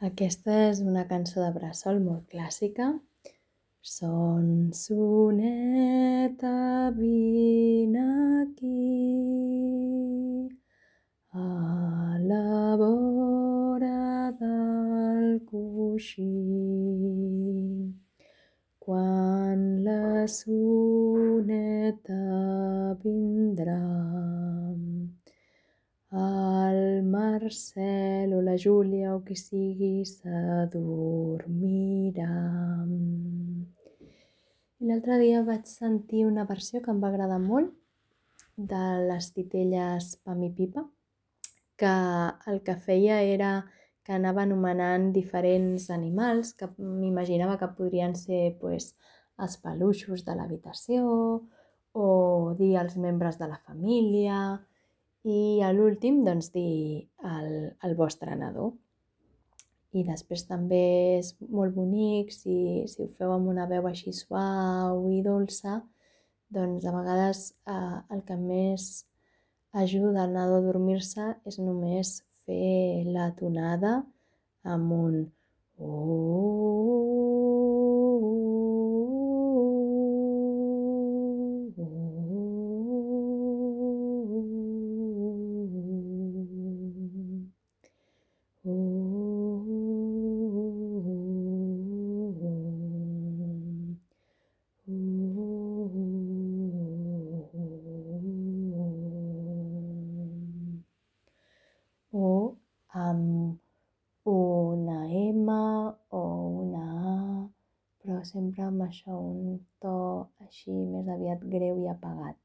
Aquesta és una cançó de bressol molt clàssica. Son soneta, vine aquí, a la vora del coixí. Quan la soneta vindrà, el Marcel o la Júlia o qui sigui s'adormirà. I l'altre dia vaig sentir una versió que em va agradar molt de les titelles Pam i Pipa, que el que feia era que anava anomenant diferents animals que m'imaginava que podrien ser els peluixos de l'habitació o dir els membres de la família i a l'últim dir el vostre nadó. I després també és molt bonic si ho feu amb una veu així suau i dolça, doncs a vegades el que més ajuda al nadó a dormir-se és només fer la tonada amb un o amb una M o una A, però sempre amb això, un to així més aviat greu i apagat.